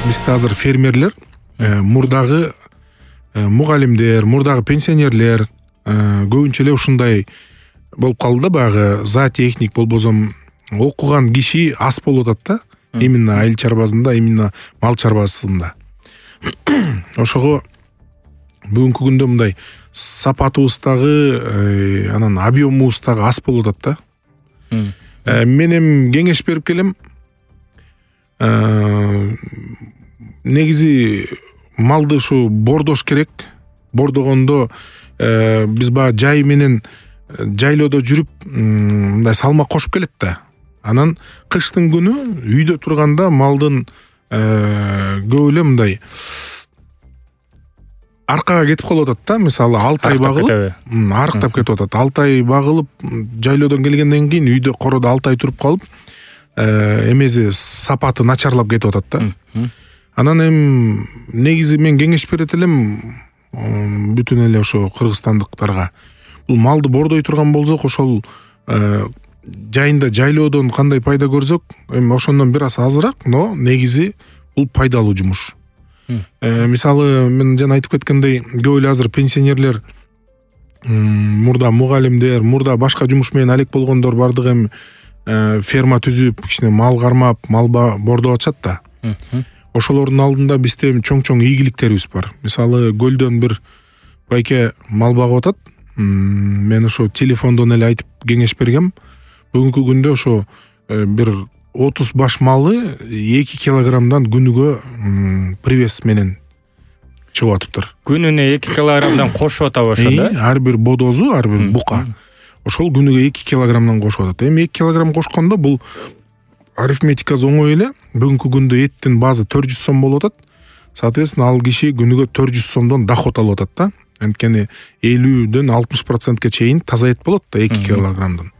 бизде азыр фермерлер мурдагы мугалимдер, мурдагы пенсионерлер көбүнчө эле ушундай болуп калды да, баягы зоотехник болбосо окуган киши аз болуп атат да. Именно айыл чарбасында, именно мал чарбасында. Ошого бүгүнкү күндө мындай сапатыбыздагы, анан объемубуздагы аз болуп атат да. Мен эми кеңеш берип келем. Негизи малды ушу бордош керек. Бордогондо биз баягы жай менен жайлоодо жүрүп мындай салмак кошуп келет да. Анан кыштын күнү үйдө турганда малдын көп эле мындай аркага кетип калып атат да. Мисалы 6 ай багылып, арыктап кетип атат. 6 ай багылып, жайлоодон келгенден кийин үйдө короодо 6 ай туруп калып, эмеси сапаты начарлап кетип атат да. Анан эми негизи мен кеңеш берет элем бүтүн эле ошо кыргызстандыктарга. Бул малды бордой турган болсок, ошол жайында жайлоодон кандай пайда көрсөк, эми ошондон бир аз азыраак, но негизи бул пайдалуу жумуш. Мисалы мен жана айтып кеткендей, көп эле азыр пенсионерлер, мурда мугалимдер, мурда башка жумуш менен алек болгондор бардыгы эми ферма түзүп, кичине мал кармап, мал бордоп атышат да. Ошолордун алдында бизде чоң-чоң ийгиликтерибиз бар. Мисалы көлдөн бир байке мал багып атат. Мен ошо телефондон эле айтып кеңеш бергем. Бүгүнкү күндө ошо бир 30 баш малы 2 килограммдан күнүгө привес менен чыгып атыптыр. Күнүнө 2 килограммдан кошуп атабы ошондо? Ар бир бодозу, ар бир бука. Ошол күнүгө 2 килограммдан кошуп атат. Эми 2 килограмм кошкондо бул арифметикасы оңой эле. Бүгүнкү күндө эттин базы 400 сом болуп атат. Соответственно, ал киши күнүгө 400 сомдон доход алып атат да. Анткени 50-дөн 60%ке чейин таза эт болот да 2 килограммдан.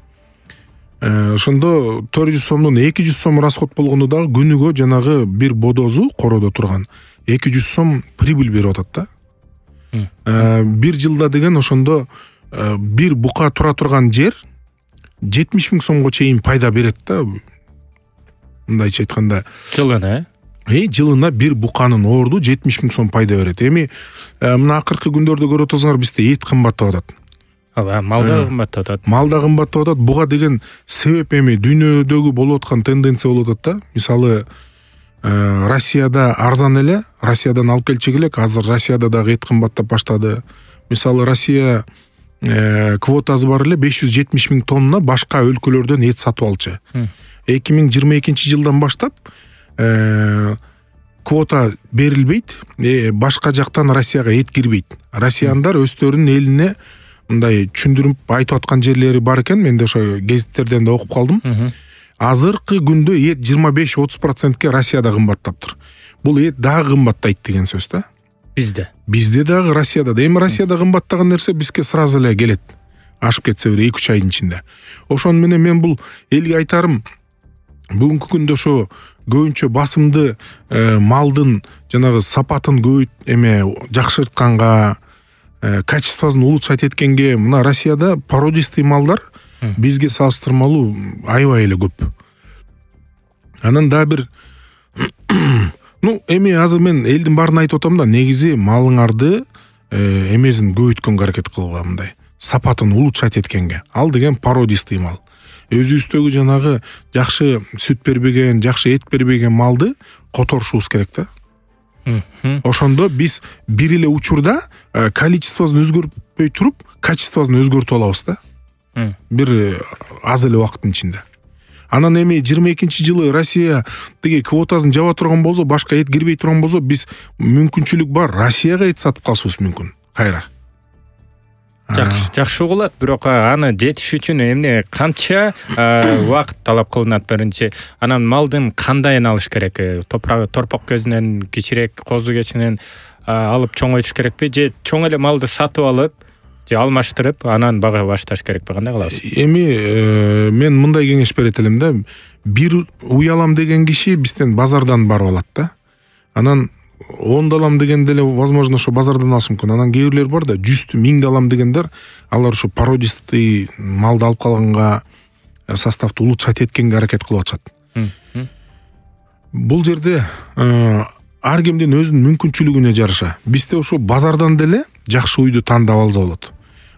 Ошондо 400 сомдон 200 сом расход болгондо дагы күнүгө жанагы бир бодозу короодо турган 200 сом прибыль берип атат да. Бир жылда деген ошондо бир бука тура турган жер 70 000 сомго чейин пайда берет да. Мындайча айтканда, жылына жылына бир буканын орду 70 000 сом пайда берет. Эми мына акыркы күндөрдө көрүп атасыңар, бизде эт кымбаттап атат. Малда кымбаттап атат. Малда кымбаттап атат. Буга деген себеп эми дүйнөдөгү болуп аткан тенденция болуп атат да. Мисалы Россияда арзан эле, Россиядан алып келчек элек, азыр Россияда дагы эт кымбаттап баштады. Мисалы Россия квотасы бар эле 570 000 тонна башка өлкөлөрдөн эт сатып алчу. 2022 жылдан баштап квота берилбейт, башка жактан Россияга эт кирбейт. Россияндар өздөрүнүн элине мындай түшүндүрүп айтып аткан жерлери бар экен. Мен да ошо гезиттерден да окуп калдым. Азыркы күндө эт 25-30%ке Россияда кымбаттаптыр. Бул эт дагы кымбаттайт деген сөз да. Бизде дагы, Россияда да. Эми Россияда кымбаттаган нерсе бизге сразу эле келет. Ашып кетсе бир 2-3 айдын ичинде. Ошон менен мен бул элге айтарым, бүгүнкү күндө ошо көбүнчө басымды малдын жанагы сапатын жакшыртканга, качествосын улучшать эткенге мына Россияда породистый малдар бизге салыштырмалуу аябай эле көп. Анан да бир эми азыр мен элдин баарын айтып атам да, негизи малыңарды эмесин көбөйткөнгө аракет кылгыла, мындай сапатын улучшать эткенге. Ал деген породистый мал. Өзүбүздөгү жанагы жакшы сүт бербеген, жакшы эт бербеген малды которушубуз керек да. Ошондо биз бир эле учурда количествосын өзгөртпөй туруп, качествосын өзгөртүп алабыз да. Бир аз эле убакыттын ичинде. Анан эми 22 жылы Россия тиги квотасын жаба турган болсо, башка эт кирбей турган болсо, биз мүмкүнчүлүк бар Россияга эт сатып калышыбыз мүмкүн. Кайра. Жакшы угулат, бирок аны жетиш үчүн эмне канча убакыт талап кылынат биринчи. Анан малдын кандайын алыш керек? Торпок көзүнөн, кичирээк козу кечинен алып чоңойтуш керекпи? Же чоң эле малды сатып алып, же алмаштырып, анан бага башташ керекпи? Кандай кыласыз? Эми мен мындай кеңеш берет элем да. Бир уялам деген киши бизден базардан барып алат да. Анан 10 алам дегенде эле возможно ошо базардан алыш мүмкүн. Анан кээ бирлер бар да, 100 1000 алам дегендер, алар ошо породистый малды алып калганга, составты улучшать эткенге аракет кылып атышат. Бул жерде ар кимдин өзүнүн мүмкүнчүлүгүнө жараша. Бизде ошо базардан деле жакшы уйду тандап алса болот.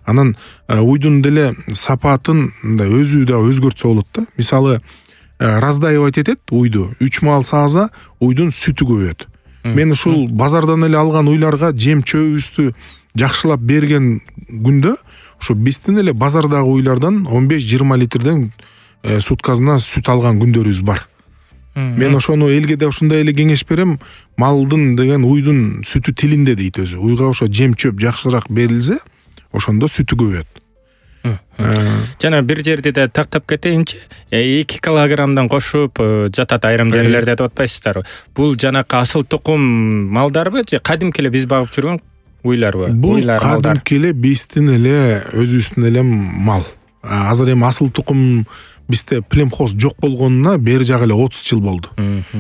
Анан уйдун деле сапатын мындай өзү да өзгөртсө болот да. Мисалы, раздаевать этет уйду. 3 маал сааза уйдун сүтү көбөйөт. Мен ушул базардан эле алган уйларга жем чөбүбүздү жакшылап берген күндө ошо биздин эле базардагы уйлардан 15-20 литрден суткасына сүт алган күндөрүбүз бар. Мен ошону элге да ушундай эле кеңеш берем. Малдын деген уйдун сүтү тилинде дейт өзү. Уйга ошо жем чөп жакшыраак берилсе, ошондо сүтү көбөйөт. Жана бир жерде да тактап кетейинчи, 2 килограммдан кошуп жатат айрым жерлерде деп атпайсыздарбы? Бул жанакы асыл тукум малдарбы же кадимки эле биз багып жүргөн уйларбы? Бул кадимки эле биздин эле өзүбүздүн эле мал. Азыр эми асыл тукум бизде племхоз жок болгонуна бери жагы эле 30 жыл болду.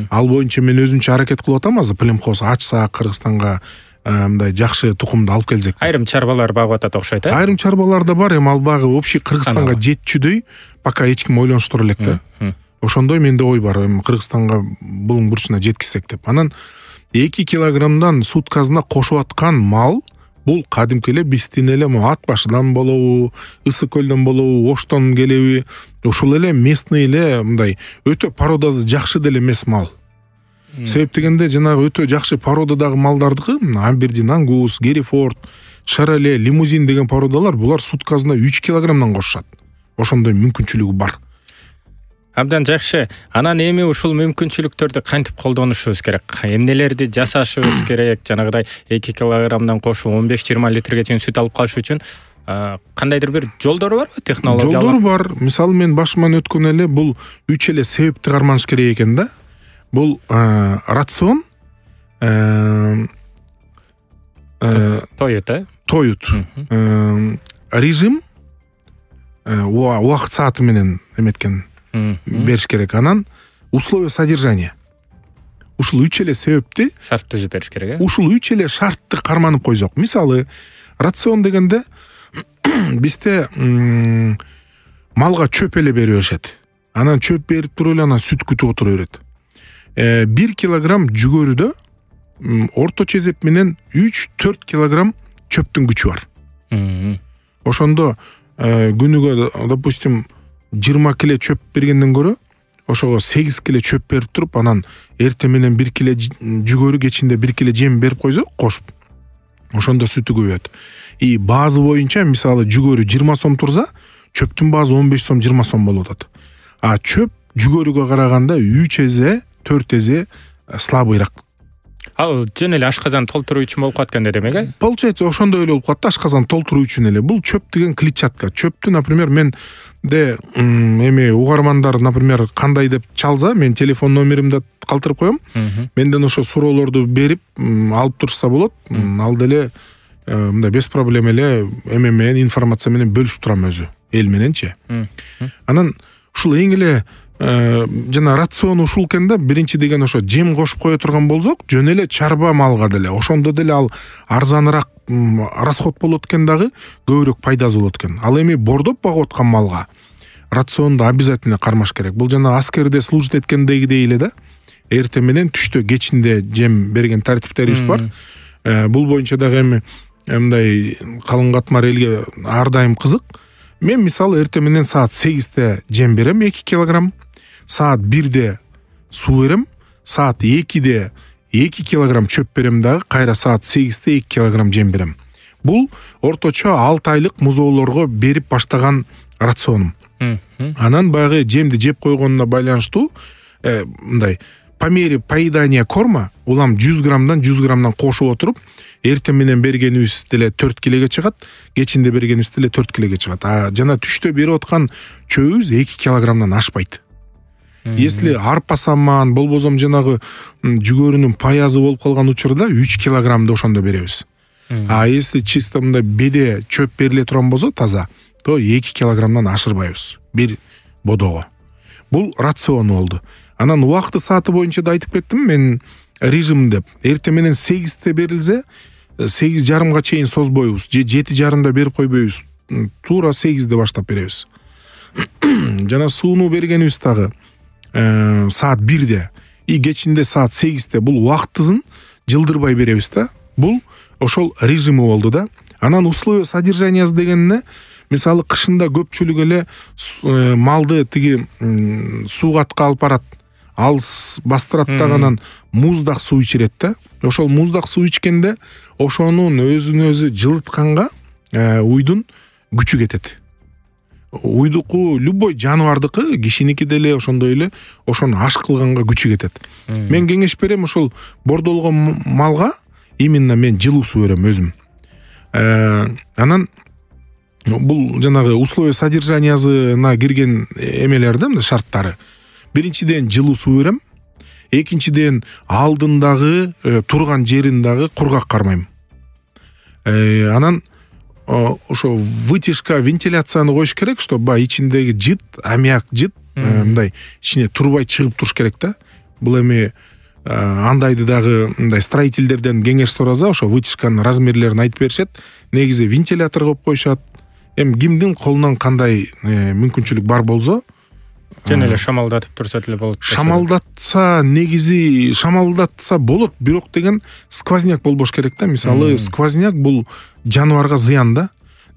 Ал боюнча мен өзүмчө аракет кылып атам азыр племхоз ачса Кыргызстанга мындай жакшы тукумду алып келсек. Айрым чарбалар багып атат окшойт, э? Айрым чарбалар да бар, эми ал багы общий Кыргызстанга жетчүдөй пока эч ким ойлонуштура элек да. Ошондой менде ой бар, эми Кыргызстанга булуң бурчуна жеткизсек деп. Анан 2 килограммдан суткасына кошуп аткан мал бул кадимки эле биздин эле ат башыдан болобу, Ысык көлдөн болобу, Оштон келеби, ушул эле местный эле мындай өтө породасы жакшы деле эмес мал. Себеп дегенде жанагы өтө жакшы породадагы малдардыкы, Абердин Ангус, Герефорд, Шароле, Лимузин деген породалар булар суткасына 3 килограммдан кошушат. Ошондой мүмкүнчүлүгү бар. Абдан жакшы. Анан эми ушул мүмкүнчүлүктөрдү кантип колдонушубуз керек? Эмнелерди жасашыбыз керек? Жанагыдай 2 килограммдан кошуп 15-20 литрге чейин сүт алып калыш үчүн кандайдыр бир жолдору барбы? Технологиялар? Жолдору бар. Мисалы мен башыман өткөн эле бул 3 эле себепти карманыш керек экен да. Бул рацион, тоют, режим, убакыт сааты менен эметкен бериш керек. Анан условия содержания. Ушул 3 эле себепти шарт түзүп бериш керек, э? Ушул 3 эле шартты карманып койсок. Мисалы, рацион дегенде бизде малга чөп эле берип беришет. Анан чөп берип туруп эле анан сүт күтүп отура берет. 1 килограмм жүгөрүдө орточо эсеп менен 3-4 килограмм чөптүн күчү бар. Ошондо күнүгө, допустим, 20 кило чөп бергенден көрө, ошого 8 кило чөп берип туруп, анан эртең менен 1 кило жүгөрү, кечинде 1 кило жем берип койсок, кошуп, ошондо сүтү көбөйөт. И баазы боюнча, мисалы, жүгөрү 20 сом турса, чөптүн баазы 15 сом, 20 сом болуп атат. А чөп жүгөрүгө караганда 3 эзе 4 эзе слабыйраак. Ал жөн эле ашказан толтуруу үчүн болуп калат экен демек, э? Получается, ошондой эле болуп калат да, ашказан толтуруу үчүн эле. Бул чөп деген клетчатка. Чөптү, например, менде эми угармандар, например, кандай деп чалса, мен телефон номеримди калтырып коем. Менден ошо суроолорду берип, алып турса болот. Ал деле мындай без проблем эле эме менен, информация менен бөлүшүп турам өзү, эл мененчи. Анан ушул эң эле жана рацион ушул экен да. Биринчи деген ошо жем кошуп кое турган болсок, жөн эле чарба малга деле, ошондо деле ал арзаныраак расход болот экен дагы, көбүрөөк пайдасы болот экен. Ал эми бордоп багып аткан малга рационду обязательно кармаш керек. Бул жана аскерде служит эткендегидей эле да. Эртең менен түштө, кечинде жем берген тартиптерибиз бар. Бул боюнча дагы эми мындай калың катмар элге ар дайым кызык. Мен мисалы эртең менен саат 8-те жем берем 2 килограмм, саат 1-де суу берем, саат 2-де 2 килограмм чөп берем дагы, кайра саат 8-те 2 килограмм жем берем. Бул орточо 6 айлык музоолорго берип баштаган рационум. Анан баягы жемди жеп койгонуна байланыштуу мындай по мере поедания корма улам 100 граммдан кошуп отуруп, эртең менен бергенибиз деле 4 килоге чыгат, кечинде бергенибиз деле 4 килоге чыгат. А жана түштө берип аткан чөбүбүз 2 килограммдан ашпайт. Если арпа саман, болбосом жанагы жүгөрүнүн паязы болуп калган учурда 3 килограммды ошондо беребиз. А если чисто мындай беде чөп бериле турган болсо таза, то 2 килограммдан ашырбайбыз бир бодого. Бул рацион болду. Анан убакыты сааты боюнча да айтып кеттим мен, режим деп. Эртең менен 8-те берилсе, 8:30га чейин созбойбуз, же 7:30да берип койбойбуз. Туура 8-де баштап беребиз. Жана сууну бергенибиз дагы саат 1-де и кечинде саат 8-те бул убактысын жылдырбай беребиз да. Бул ошол режими болду да. Анан условия содержаниясы дегенне мисалы кышында көпчүлүк эле малды тиги суугатка алып барат. Ал бастырат да, анан муздак суу ичирет да. Ошол муздак суу ичкенде ошонун өзүн өзү жылытканга уйдун күчү кетет. Уйдуку любой жаныбардыкы, кишиники деле ошондой эле ошону аш кылганга күчү кетет. Мен кеңеш берем, ошол бордолгон малга именно мен жылуу суу берем өзүм. Анан бул жанагы условия содержаниясына кирген эмелер да, шарттары. Биринчиден жылуу суу берем. Экинчиден алдындагы турган жерин дагы кургак кармайм. Анан ошо вытяжка, вентиляцияны коюш керек, чтобы баягы ичиндеги жыт, аммиак жыт мындай ичине турбай чыгып туруш керек да. Бул эми андайды дагы мындай строительдерден кеңеш сураса, ошо вытяжканын размерлерин айтып беришет. Негизи вентилятор коюп коюшат. Эми кимдин колунан кандай мүмкүнчүлүк бар болсо, жөн эле шамалдатып турса деле болот. Шамалдатса, негизи шамалдатса болот, бирок деген сквозняк болбош керек да. Мисалы сквозняк бул жаныбарга зыян да.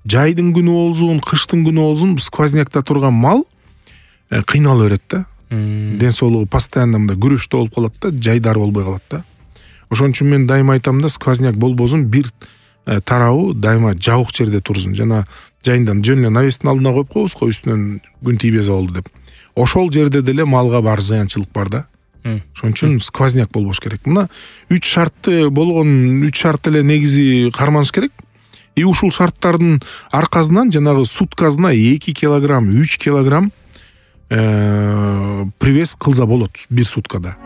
Жайдын күнү болсун, кыштын күнү болсун, сквознякта турган мал кыйнала берет да. Ден соолугу постоянно мындай күрөштө болуп калат да, жайдары болбой калат да. Ошон үчүн мен дайыма айтам да, сквозняк болбосун, бир тарабы дайыма жабык жерде турсун. Жана жайындан жөн эле навестин алдына коюп коебуз го, үстүнөн күн тийбесе болду деп. Ошол жерде деле малга бар зыянчылык бар да. Ошон үчүн сквозняк болбош керек. Мына 3 шартты болгон 3 шарт эле негизи карманыш керек. И ушул шарттардын аркасынан жанагы суткасына 2 килограмм, 3 килограмм привес кылса болот бир суткада.